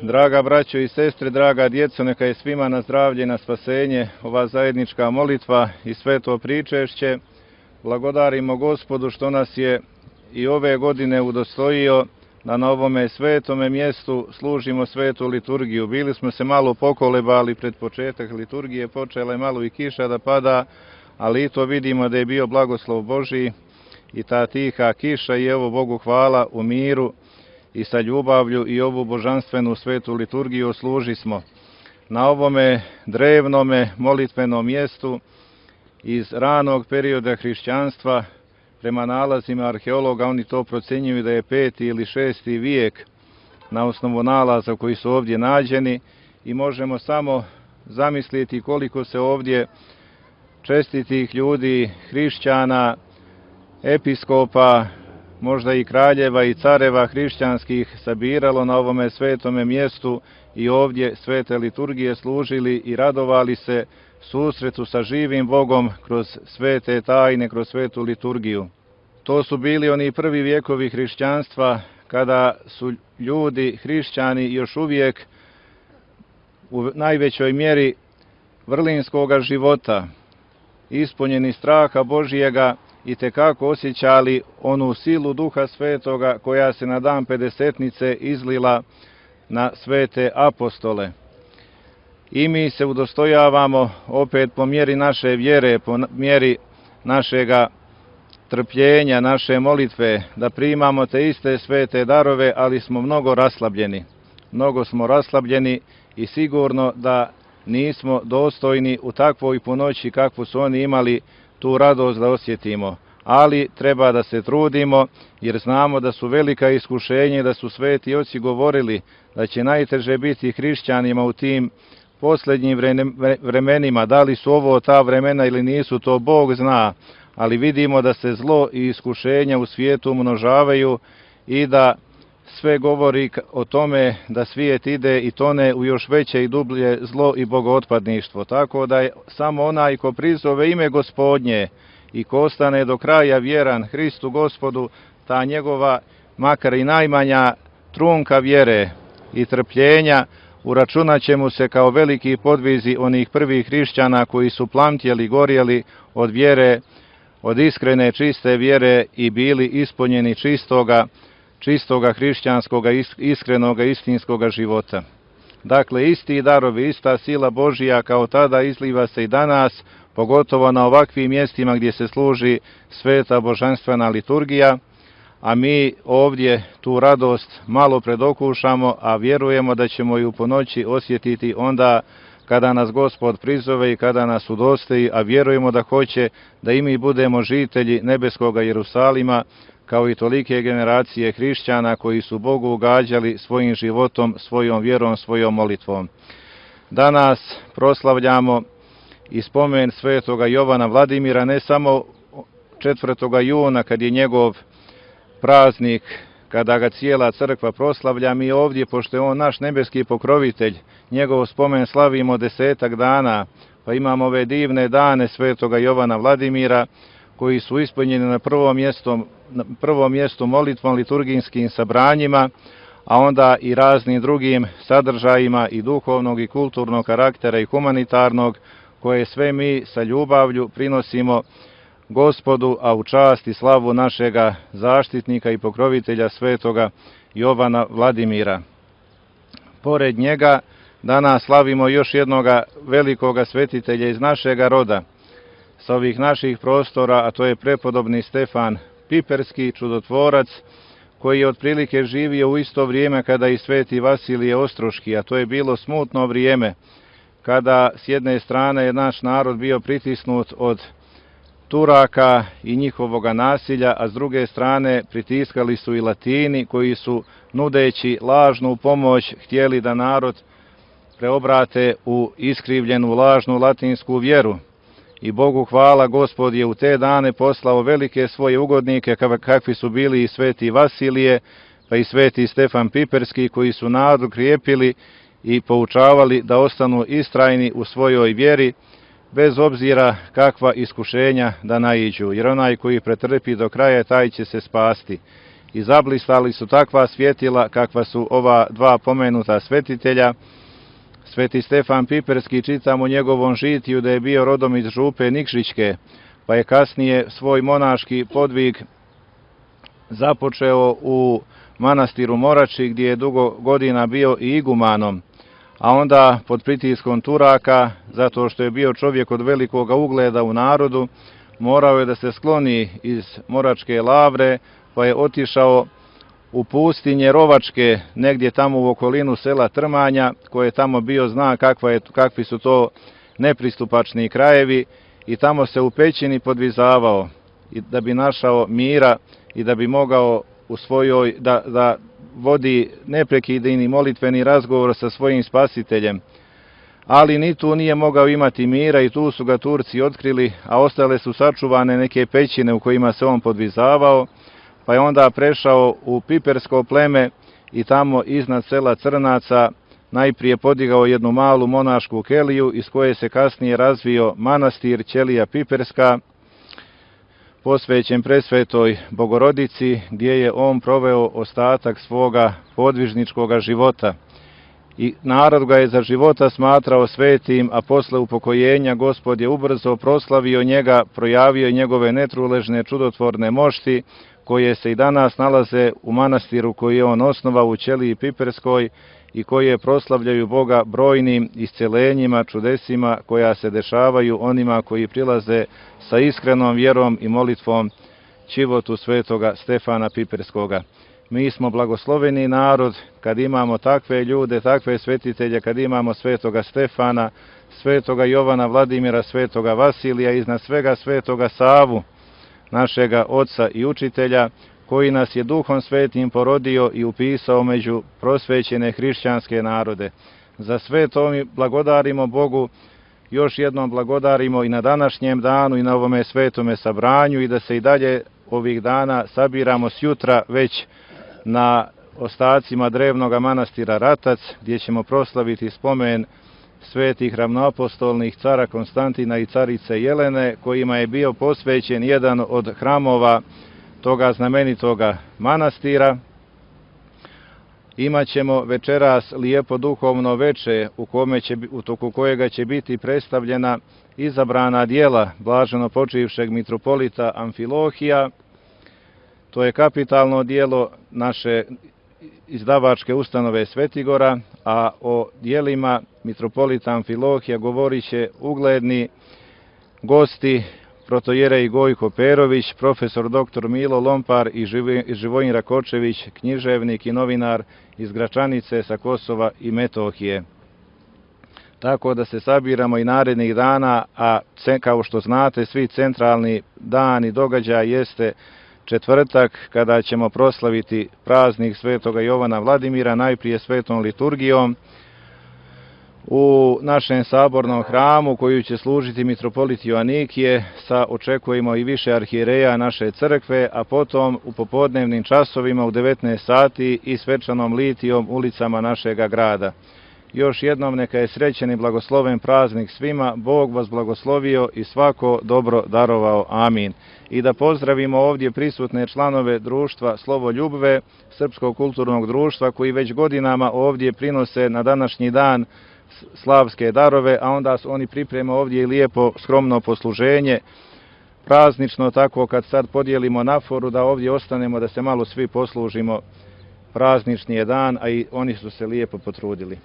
Draga braćo i sestre, draga djeco, neka je svima na zdravlje i na spasenje ova zajednička molitva i sveto pričešće. Blagodarimo Gospodu što nas je i ove godine udostojio da na ovome svetome mjestu služimo svetu liturgiju. Bili smo se malo pokolebali pred početak liturgije, počela je malo i kiša da pada, ali i to vidimo da je bio blagoslov Božji i ta tiha kiša i evo Bogu hvala u miru i sa ljubavlju i ovu božanstvenu svetu liturgiju služismo. Na ovome drevnome molitvenom mjestu iz ranog perioda hrišćanstva, prema nalazima arheologa, oni to procjenjuju da je 5. ili 6. vijek na osnovu nalaza koji su ovdje nađeni, i možemo samo zamisliti koliko se ovdje čestitih ljudi, hrišćana, episkopa, možda i kraljeva i careva hrišćanskih sabiralo na ovome svetome mjestu i ovdje svete liturgije služili i radovali se susretu sa živim Bogom kroz svete tajne, kroz svetu liturgiju. To su bili oni prvi vjekovi hrišćanstva kada su ljudi, hrišćani, još uvijek u najvećoj mjeri vrlinskoga života, ispunjeni straha Božijega, i tekako osjećali onu silu Duha Svetoga koja se na dan Pedesetnice izlila na svete apostole. I mi se udostojavamo opet po mjeri naše vjere, po mjeri našega trpljenja, naše molitve, da primamo te iste svete darove, ali smo mnogo raslabljeni. Mnogo smo raslabljeni i sigurno da nismo dostojni u takvoj punoći kakvu su oni imali tu radost da osjetimo. Ali treba da se trudimo, jer znamo da su velika iskušenja i da su sveti oci govorili da će najteže biti hrišćanima u tim posljednjim vremenima. Da li su ovo ta vremena ili nisu, to Bog zna, ali vidimo da se zlo i iskušenja u svijetu umnožavaju i da sve govori o tome da svijet ide i tone u još veće i dublje zlo i bogootpadništvo. Tako da je samo onaj ko prizove ime Gospodnje i ko ostane do kraja vjeran Hristu Gospodu, ta njegova, makar i najmanja trunka vjere i trpljenja, uračunat će mu se kao veliki podvizi onih prvih hrišćana koji su plamtjeli, gorjeli od vjere, od iskrene, čiste vjere i bili ispunjeni čistoga hrišćanskoga, iskrenoga, istinskoga života. Dakle, isti darovi, ista sila Božija kao tada izliva se i danas, pogotovo na ovakvim mjestima gdje se služi sveta božanstvena liturgija, a mi ovdje tu radost malo predokušamo, a vjerujemo da ćemo ju po noći osjetiti onda kada nas Gospod prizove i kada nas udostoji, a vjerujemo da hoće da i mi budemo žitelji nebeskoga Jerusalima, kao i tolike generacije hrišćana koji su Bogu ugađali svojim životom, svojom vjerom, svojom molitvom. Danas proslavljamo i spomen svetoga Jovana Vladimira, ne samo 4. juna kad je njegov praznik, kada ga cijela crkva proslavlja, mi ovdje, pošto je on naš nebeski pokrovitelj, njegov spomen slavimo 10 dana, pa imamo ove divne dane svetoga Jovana Vladimira, koji su ispunjeni na prvom mjestu molitvom, liturgijskim sabranjima, a onda i raznim drugim sadržajima i duhovnog i kulturnog karaktera i humanitarnog, koje sve mi sa ljubavlju prinosimo Gospodu, a u čast i slavu našega zaštitnika i pokrovitelja svetoga Jovana Vladimira. Pored njega danas slavimo još jednoga velikoga svetitelja iz našega roda, sa ovih naših prostora, a to je prepodobni Stefan Piperski, čudotvorac, koji je otprilike živio u isto vrijeme kada i sveti Vasilije Ostroški, a to je bilo smutno vrijeme, kada s jedne strane je naš narod bio pritisnut od Turaka i njihovoga nasilja, a s druge strane pritiskali su i Latini, koji su, nudeći lažnu pomoć, htjeli da narod preobrate u iskrivljenu lažnu latinsku vjeru. I Bogu hvala, Gospod je u te dane poslao velike svoje ugodnike, kakvi su bili i sveti Vasilije, pa i sveti Stefan Piperski, koji su narod krijepili i poučavali da ostanu istrajni u svojoj vjeri, bez obzira kakva iskušenja da naiđu, jer onaj koji pretrpi do kraja, taj će se spasti. i zablistali su takva svjetila kakva su ova dva pomenuta svetitelja. Sveti Stefan Piperski, čitam u njegovom žitiju da je bio rodom iz župe Nikšićke, pa je kasnije svoj monaški podvig započeo u manastiru Morači, gdje je dugo godina bio i igumanom, a onda pod pritiskom Turaka, zato što je bio čovjek od velikoga ugleda u narodu, morao je da se skloni iz Moračke lavre, pa je otišao u pustinje Rovačke, negdje tamo u okolinu sela Trmanja, koje je tamo bio zna kakvi su to nepristupačni krajevi, i tamo se u pećini podvizavao da bi našao mira i da bi mogao u svojoj, da vodi neprekidni molitveni razgovor sa svojim spasiteljem. Ali ni tu nije mogao imati mira i tu su ga Turci otkrili, a ostale su sačuvane neke pećine u kojima se on podvizavao, pa je onda prešao u Pipersko pleme i tamo iznad sela Crnaca najprije podigao jednu malu monašku keliju iz koje se kasnije razvio manastir Ćelija Piperska, posvećen presvetoj Bogorodici, gdje je on proveo ostatak svoga podvižničkoga života. I narod ga je za života smatrao svetim, a posle upokojenja Gospod je ubrzo proslavio njega, projavio njegove netruležne čudotvorne mošti, koje se i danas nalaze u manastiru koji je on osnovao u Ćeliji Piperskoj i koje proslavljaju Boga brojnim iscelenjima, čudesima koja se dešavaju onima koji prilaze sa iskrenom vjerom i molitvom ćivotu svetoga Stefana Piperskoga. Mi smo blagosloveni narod kad imamo takve ljude, takve svetitelje, kad imamo svetoga Stefana, svetoga Jovana Vladimira, svetoga Vasilija, iznad svega svetoga Savu, našega oca i učitelja, koji nas je Duhom Svetim porodio i upisao među prosvećene hrišćanske narode. Za sve to mi blagodarimo Bogu, još jednom blagodarimo i na današnjem danu i na ovome svetome sabranju, i da se i dalje ovih dana sabiramo sjutra već na ostacima drevnog manastira Ratac, gdje ćemo proslaviti spomen svetih ravnoapostolnih cara Konstantina i carice Jelene, kojima je bio posvećen jedan od hramova toga znamenitoga manastira. Imaćemo večeras lijepo duhovno veče u toku kojega će biti predstavljena izabrana djela blaženo počivšeg mitropolita Amfilohija. To je kapitalno djelo naše izdavačke ustanove Svetigora, a o djelima mitropolita Amfilohija govorit će ugledni gosti, protojerej Gojko Perović, profesor dr. Milo Lompar i Živojin Rakočević, književnik i novinar iz Gračanice sa Kosova i Metohije. Tako da se sabiramo i narednih dana, a kao što znate, svi centralni dan i događaj jeste četvrtak, kada ćemo proslaviti praznik svetoga Jovana Vladimira, najprije svetom liturgijom u našem sabornom hramu, koju će služiti mitropolit Joanikije, očekujemo i više arhijereja naše crkve, a potom u popodnevnim časovima u 19 sati i svečanom litijom ulicama našega grada. Još jednom neka je srećen i blagosloven praznik svima, Bog vas blagoslovio i svako dobro darovao. Amin. I da pozdravimo ovdje prisutne članove društva Slovo Ljubve, Srpskog kulturnog društva, koji već godinama ovdje prinose na današnji dan slavske darove, a onda oni pripreme ovdje i lijepo skromno posluženje, praznično, tako kad sad podijelimo naforu da ovdje ostanemo, da se malo svi poslužimo, praznični je dan, a i oni su se lijepo potrudili.